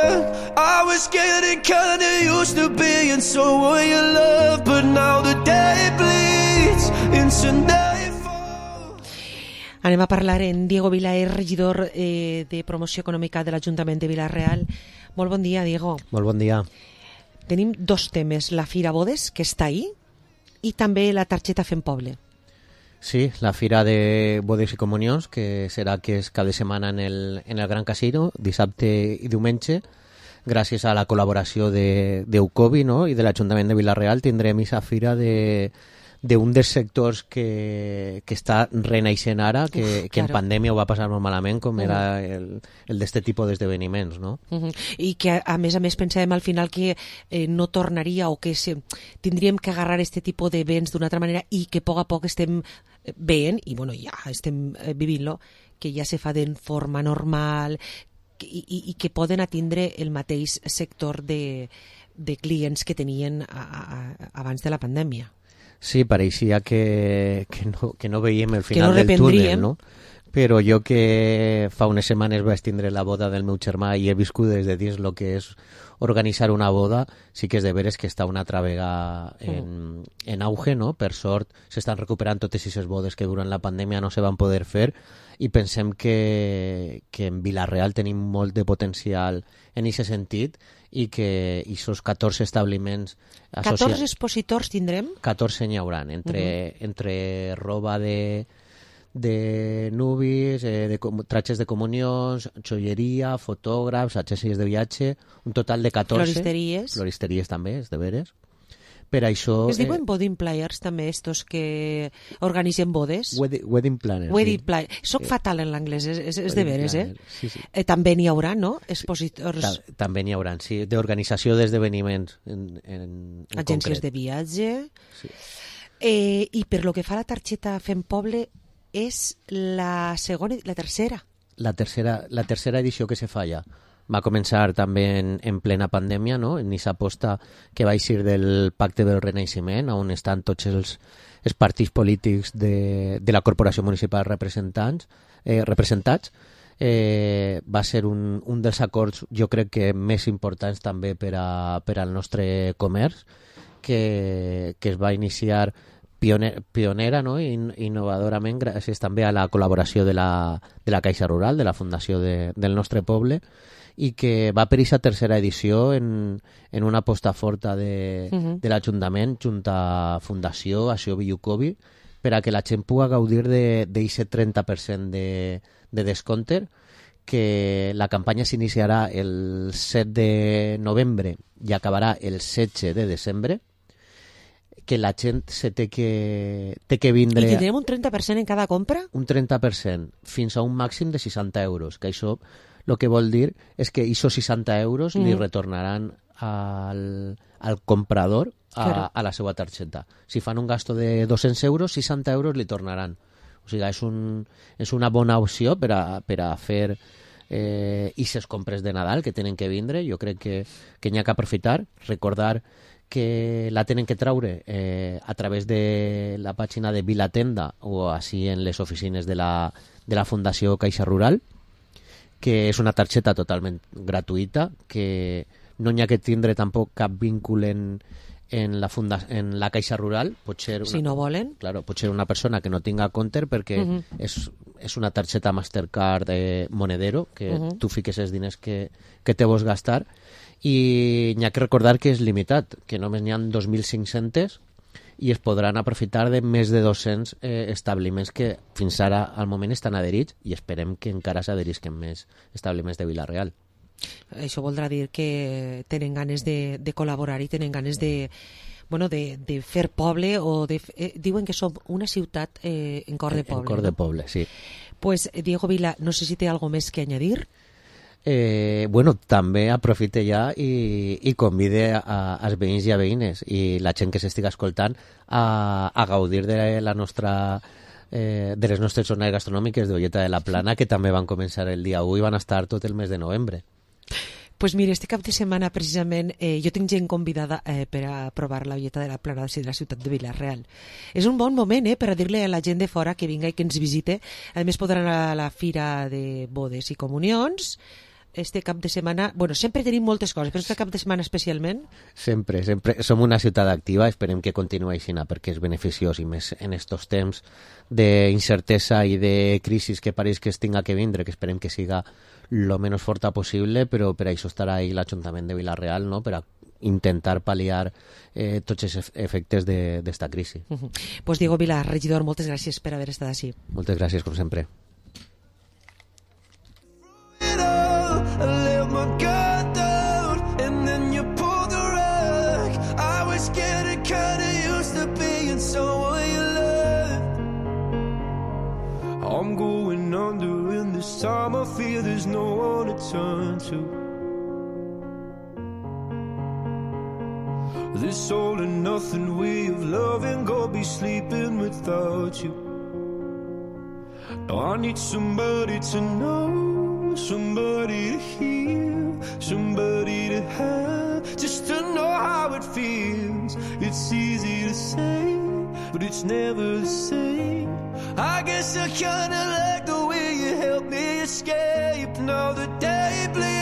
I was getting kinda used to being someone you love, but now the day bleeds into nightfall. Anem a parlar en Diego Vila, regidor de Promoció Econòmica de l'Ajuntament de Vila-real. Molt bon dia, Diego. Molt bon dia. Tenim dos temes, la Fira Bodes, que està ahí, i també la targeta Fem Poble. Sí, la Fira de Bodes i Comunions, que serà que és cada setmana en el Gran Casino, dissabte i diumenge. Gràcies a la col·laboració d'Eucovi, no? I de l'Ajuntament de Vila-real tindrem aquesta fira d'un dels sectors que està renaixent ara, que en pandèmia ho va passar molt malament, com era el d'este tipus d'esdeveniments, no? I que, a més, pensàvem al final que no tornaria o que tindríem que agarrar este tipus d'events d'una altra manera i que a poc estem veient, i bueno, ja estem vivint-lo, que ja se fa de forma normal i que poden atendre el mateix sector de clients que tenien abans de la pandèmia. Sí, pareixia que no veiem el final del túnel, no? Però jo que fa unes setmanes vaig tindre la boda del meu germà i he viscut des de dins el que és organitzar una boda, sí que és de veres que està una altra vegada en auge, no? Per sort s'estan recuperant totes aquestes bodes que durant la pandèmia no se van poder fer i pensem que en Vila-real tenim molt de potencial en aquest sentit i que aquests 14 establiments... 14 expositors tindrem? 14 n'hi haurà, entre roba de nubis, tratges de comunions, joieria, fotògrafs, agències de viatge, un total de 14. Floristeries. Floristeries també, és de veres. Per això... Es diuen wedding planners també, estos que organitzen bodes? Wedding planners. Wedding planners. Soc fatal en l'anglès, és de veres, Sí. També n'hi haurà, no? Expositors... També n'hi haurà, sí, d'organització d'esdeveniments en agències concret. de viatge. Sí. I per lo que fa a la targeta Fem Poble, és la tercera. La tercera edició que se fa ja. Va començar també en plena pandèmia, no? En aquesta aposta que va eixir del Pacte del Renaixement, on estan tots els partits polítics de la Corporació Municipal representats. Va ser un dels acords, jo crec que més importants també per al nostre comerç, que es va iniciar pionera, no? Innovadorament, gràcies també a la col·laboració de la Caixa Rural, de la fundació del nostre poble, i que va per aquesta tercera edició en una aposta forta de l'Ajuntament junt a Fundació Acció Villucovi per a que la gent pugui gaudir d'aquest 30% de descompte, que la campanya s'iniciarà el 7 de novembre i acabarà el 16 de desembre, que la gent té que vindre... I tindrem un 30% en cada compra? Un 30%, fins a un màxim de 60 euros, que això el que vol dir és que aquests 60 euros li retornaran al comprador a la seva targeta. Si fan un gasto de 200 euros, 60 euros li tornaran. O sigui, és una bona opció per a fer aquestes compres de Nadal que tenen que vindre. Jo crec que n'hi ha que aprofitar, recordar que la tenen que traure a través de la pàgina de Vilatenda o així en les oficines de la Fundació Caixa Rural, que és una targeta totalment gratuïta, que no n'hi ha que tindre tampoc cap vínculo en la Caixa Rural. Si no volen. Claro, pot ser una persona que no tinga compte perquè és una targeta Mastercard monedero, que tu fiques els diners que te vols gastar, i n'hi ha que recordar que és limitat, que només n'hi ha 2.500 i es podran aprofitar de més de 200 establiments que fins ara al moment estan adherits, i esperem que encara s'adherisquen més establiments de Vila-real. Això voldrà dir que tenen ganes de col·laborar i tenen ganes de fer poble, o diuen que som una ciutat en cor de poble. En cor de poble, sí. Pues Diego Vila, no sé si té algo més que añadir. També aprofite ja i convide als veïns i a veïnes i la gent que s'estiga escoltant a gaudir de les nostres jornades gastronòmiques d'Olleta de la Plana, que també van començar el dia 1 i van estar tot el mes de novembre. Pues mira, este cap de setmana precisament jo tinc gent convidada per a provar la Olleta de la Plana de la ciutat de Vila-real. És un bon moment per a dir-li a la gent de fora que vinga i que ens visite. A més podran anar a la Fira de Bodes i Comunions, este cap de setmana? Bueno, sempre tenim moltes coses, però este cap de setmana especialment? Sempre. Som una ciutat activa, esperem que continuï així, perquè és beneficiós, i més en estos temps d'incertesa i de crisi que pareix que es tinga que vindre, que esperem que siga lo menys forta possible, però per això estarà ahí l'Ajuntament de Vila-real, no?, per a intentar pal·liar tots els efectes d'esta crisi. Pues Diego Vila, regidor, moltes gràcies per haver estat així. Moltes gràcies, com sempre. I let my guard down, and then you pulled the rug. I was getting kinda used to being someone you loved. I'm going under, and this time I feel there's no one to turn to. This all and nothing way of loving, go be sleeping without you. Now I need somebody to know, somebody to hear, somebody to have, just to know how it feels. It's easy to say, but it's never the same. I guess I kinda like the way you help me escape. Now the day bleeds